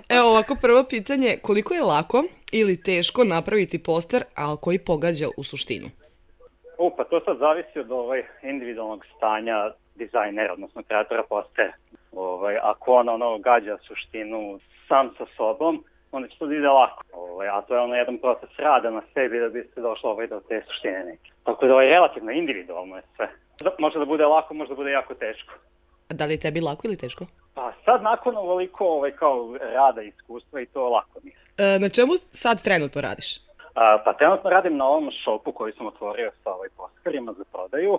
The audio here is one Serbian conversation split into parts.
Evo ovako prvo pitanje, koliko je lako ili teško napraviti poster, ali koji pogađa u suštinu? Pa to sad zavisi od individualnog stanja dizajnera, odnosno kreatora postera. Ako on gađa suštinu sam sa sobom, onda će to da ide lako. A to je jedan proces rada na sebi da bi se došlo do te suštine neke. Tako da relativno individualno je sve. Može da bude lako, može da bude jako teško. A da li je tebi lako ili teško? Pa sad nakon ovoliko kao rada i iskustva i to lako mi. Na čemu sad trenutno radiš? Pa trenutno radim na ovom shopu koji sam otvorio sa posterima za prodaju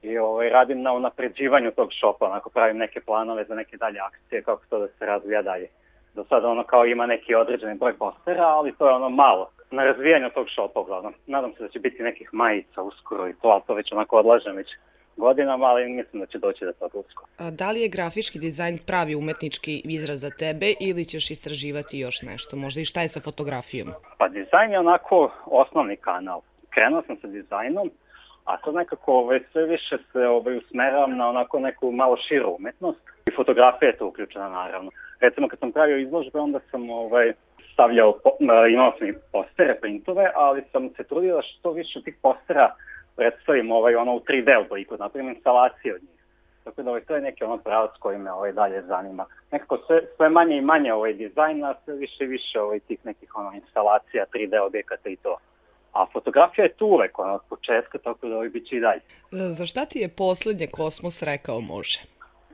i radim na unapređivanju tog shopa, pravim neke planove za neke dalje akcije, kako to da se razvija dalje. Do sada kao ima neki određeni broj postera, ali to je malo. Na razvijanju tog shopa uglavnom. Nadam se da će biti nekih majica uskoro i to, ali to već odlažem već godinama, ali mislim da će doći do toga uskoro. A da li je grafički dizajn pravi umetnički izraz za tebe ili ćeš istraživati još nešto? Možda i šta je sa fotografijom? Pa dizajn je osnovni kanal. Krenuo sam sa dizajnom, a to nekako sve više se usmeravam na neku malo širu umetnost. I fotografija je to uključena naravno. Recimo kad sam pravio izložbe, onda sam stavljao, imao sam i postere, printove, ali sam se trudio da što više tih postera predstavim u 3D obliku, napravim instalacije od njih. Tako da to je neki pravac koji me dalje zanima. Nekako sve manje i manje dizajna, sve više i više tih nekih instalacija, 3D objekata i to. A fotografija je tu uvek od početka, tako da bit će i dalje. Za šta ti je poslednje Kosmos rekao može?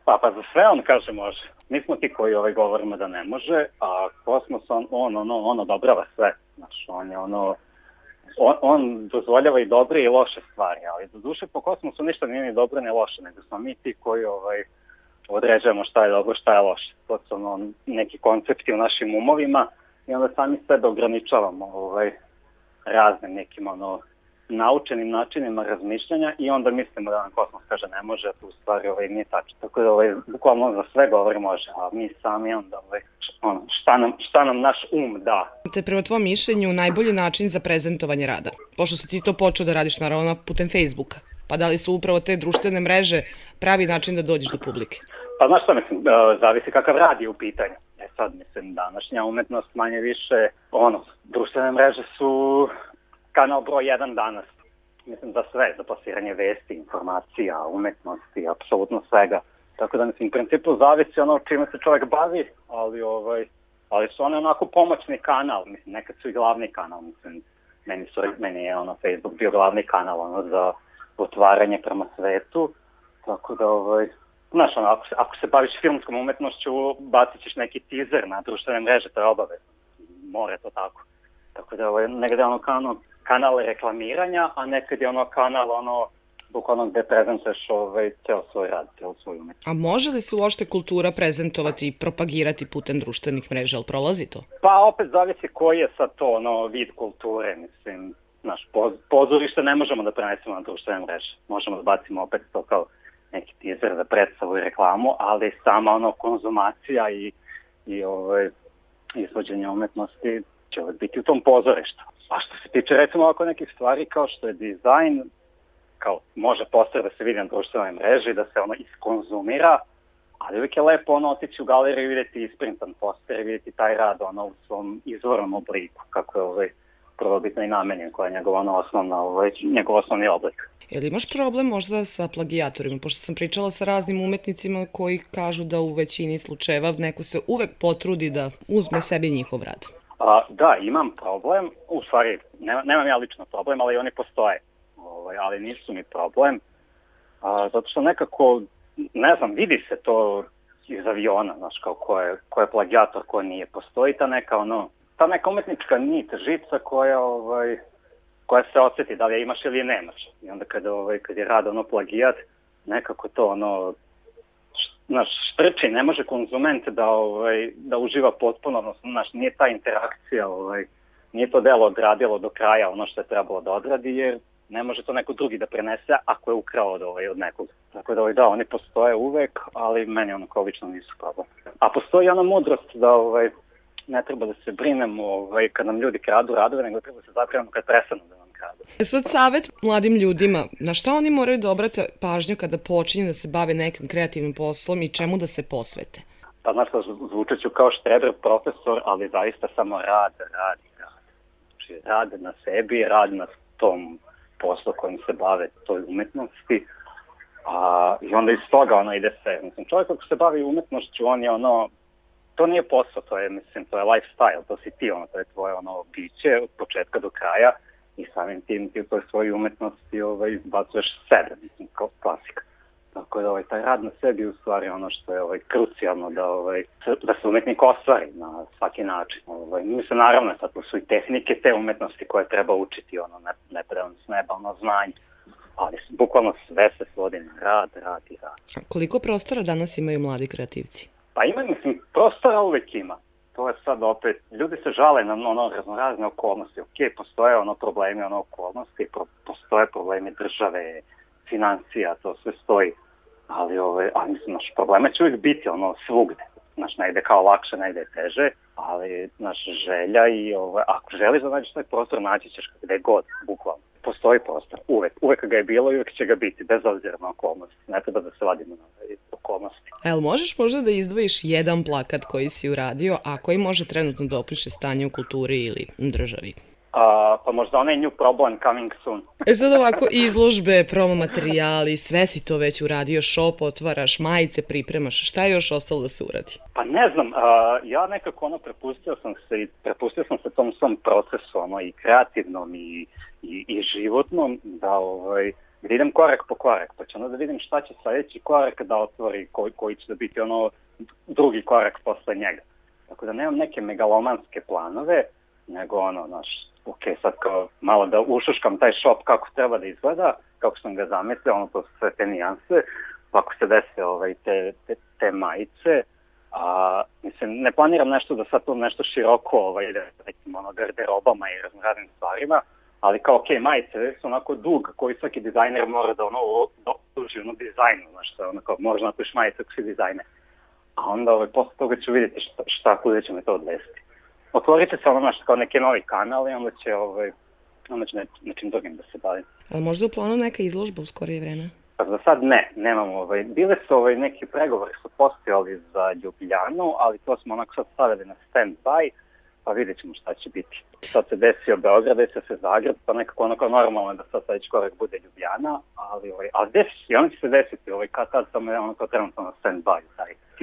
Pa za sve on kaže može. Mi smo ti koji govorimo da ne može, a Kosmos on odobrava sve. Znači, on dozvoljava i dobre i loše stvari, ali do duše po Kosmosu ništa nije ni dobro ni loše, nego smo mi ti koji određujemo šta je dobro, šta je loše. To su neki koncepti u našim umovima i onda sami sebe ograničavamo raznim nekim naučenim načinima razmišljanja i onda mislimo da nam Kosmos kaže ne može, a tu u stvari nije tačno. Tako da bukvalno za sve govori može, a mi sami onda šta nam naš da. Te prema tvojom mišljenju najbolji način za prezentovanje rada? Pošto si ti to počeo da radiš naravno putem Facebooka, pa da li su upravo te društvene mreže pravi način da dođeš do publike? Pa znaš šta mislim, zavisi kakav rad je u pitanju. Sad mislim današnja umetnost manje više, društvene mreže su kanal broj 1 danas. Mislim za sve, za plasiranje vesti, informacija, umetnosti, apsolutno svega. Tako da mislim, u principu zavisi čime se čovjek bavi, ali su one pomoćni kanal, mislim, nekad su i glavni kanal, mislim, meni je Facebook bio glavni kanal za otvaranje prema svetu, tako da znaš, ako se baviš filmskom umetnošću, bacit ćeš neki teaser na društvene mreže, to je obavezno, mora to tako. Tako da negde kanal reklamiranja, a nekad je kanal bukvalno gde prezentuješ ceo svoj rad, ceo svoju umetnost. A može li se uopšte kultura prezentovati i propagirati putem društvenih mreža, ali prolazi to? Pa opet zavisi koji je sad to vid kulture, mislim, naš pozorište ne možemo da prenesemo na društvene mreže. Možemo da bacimo opet to kao neki teaser za predstavu i reklamu, ali sama konzumacija i izvođenje umetnosti će biti u tom pozorištu. A što se tiče recimo ovako nekih stvari kao što je dizajn, kao može poster da se vidi na društvenoj mreži, da se iskonzumira, ali uvijek je lepo otići u galeriju i vidjeti isprintan poster i vidjeti taj rad u svom izvornom obliku, kako je prvobitno i namenjen, koja je njegov osnovni oblik. Jel imaš problem možda sa plagijatorima? Pošto sam pričala sa raznim umetnicima koji kažu da u većini slučajeva neko se uvek potrudi da uzme sebi njihov rad. Da, imam problem, u stvari nemam ja lično problem, ali oni postoje, ali nisu mi problem, zato što nekako, ne znam, vidi se to iz aviona, znaš, kao ko je plagijator, ko nije, postoji ta neka umetnička nit, žica koja se osjeti, da li je imaš ili je nemaš, i onda kad je rad plagijat, nekako to štrči, ne može konzument da uživa potpuno, odnosno, nije ta interakcija, nije to delo odradilo do kraja ono što je trebalo da odradi, jer ne može to neko drugi da prenese ako je ukrao od nekog. Tako da, oni postoje uvek, ali meni kao lično nisu problem. A postoji mudrost da ne treba da se brinemo kad nam ljudi kradu radove, nego treba da se zabrinemo kad prestanu da nam kradu. Sad savjet mladim ljudima, na šta oni moraju da obrate pažnju kada počinju da se bave nekim kreativnim poslom i čemu da se posvete? Pa znaš, zvučat ću kao štreber profesor, ali zaista samo rad. Znači, rad na sebi, rad na tom poslu kojim se bave, toj umetnosti. I onda iz toga ide sve. Mislim, čovjek ako se bavi umetnošću, on je to nije posao, to je lifestyle, to si ti, to je tvoje biće od početka do kraja i samim tim ti u toj svojoj umetnosti izbacuješ sebe, mislim, kao klasika. Tako da taj rad na sebi u stvari ono što je krucijalno da se umetnik ostvari na svaki način. Mislim, naravno, sad tu su i tehnike te umetnosti koje treba učiti, ne treba s neba, znanje. Ali bukvalno sve se svodi na rad. A koliko prostora danas imaju mladi kreativci? Pa ima, mislim, prostora uvek ima. To je sad opet, ljudi se žale na raznorazne okolnosti. Ok, postoje problemi, okolnosti, postoje problemi države, financija, to sve stoji. Ali mislim, problema će uvijek biti svugde. Ne ide kao lakše, ne ide teže, ali želja i ako želiš da nađeš taj prostor, naći ćeš gde god, bukvalno. Postoji prostor, uvek ga je bilo i uvek će ga biti, bez obzira na okolnosti. Ne treba da se vadimo na okolnosti. Jel možeš možda da izdvojiš jedan plakat koji si uradio, a koji može trenutno da opiše stanje u kulturi ili državi? Pa možda onaj New Problem Coming Soon. Sad ovako, izložbe, promo materijali, sve si to već uradio, shop otvaraš, majice pripremaš, šta je još ostalo da se uradi? Pa ne znam, ja nekako prepustio sam se tom svom procesu, i kreativnom i životnom, da idem korak po korak, pa ću da vidim šta će sljedeći korak da otvori, koji će da biti drugi korak posle njega. Tako da nemam neke megalomanske planove, nego ok, sad kao malo da ušuškam taj shop kako treba da izgleda, kako sam ga zamislio, to su sve te nijanse, pa ako se dese te majice, mislim, ne planiram nešto da sad to nešto široko ide nekim garderobama i raznoraznim stvarima, ali kao ok, majice su onako dug koji svaki dizajner mora da duži dizajnu, kao moraš napiš majice ako si dizajner. A onda posle toga ću vidjeti kuda će me to odvesti. Otvorit će se kao neki novi kanal i onda će nečim drugim da se bavim. Ali možda u planu neka izložba u skorije vreme? Pa za sad nemamo. Bile su neki pregovori su postojali za Ljubljanu, ali to smo sad stavili na stand-by, pa vidjet ćemo šta će biti. Sad se desio Beograd, desio se Zagreb, pa nekako normalno da sad sljedeći korak bude Ljubljana, ali desi, i onda će se desiti, kad tad samo je trenutno na stand-by,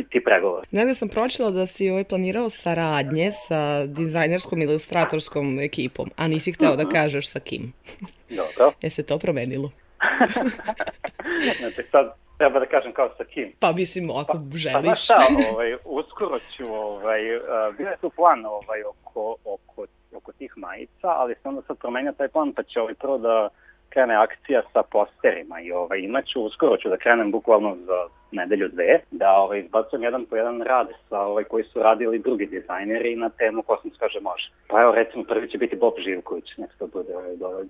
ti pregovori. Negde sam pročitala da si planirao saradnje sa dizajnerskom ilustratorskom ekipom, a nisi hteo da kažeš sa kim. Dobro. Je se to promenilo? Znači sad treba da kažem kao sa kim. Pa mislim, ako želiš. Pa znaš šta, uskoro ću, bio je tu plan oko tih majica, ali sam onda sad promenio taj plan, pa će prvo da krene akcija sa posterima i imaću, uskoro ću da krenem bukvalno za nedelju dve, da izbacujem jedan po jedan rad sa koji su radili drugi dizajneri na temu Kosmos kaže može. Pa evo recimo prvi će biti Bob Živković, nek to bude dovoljno.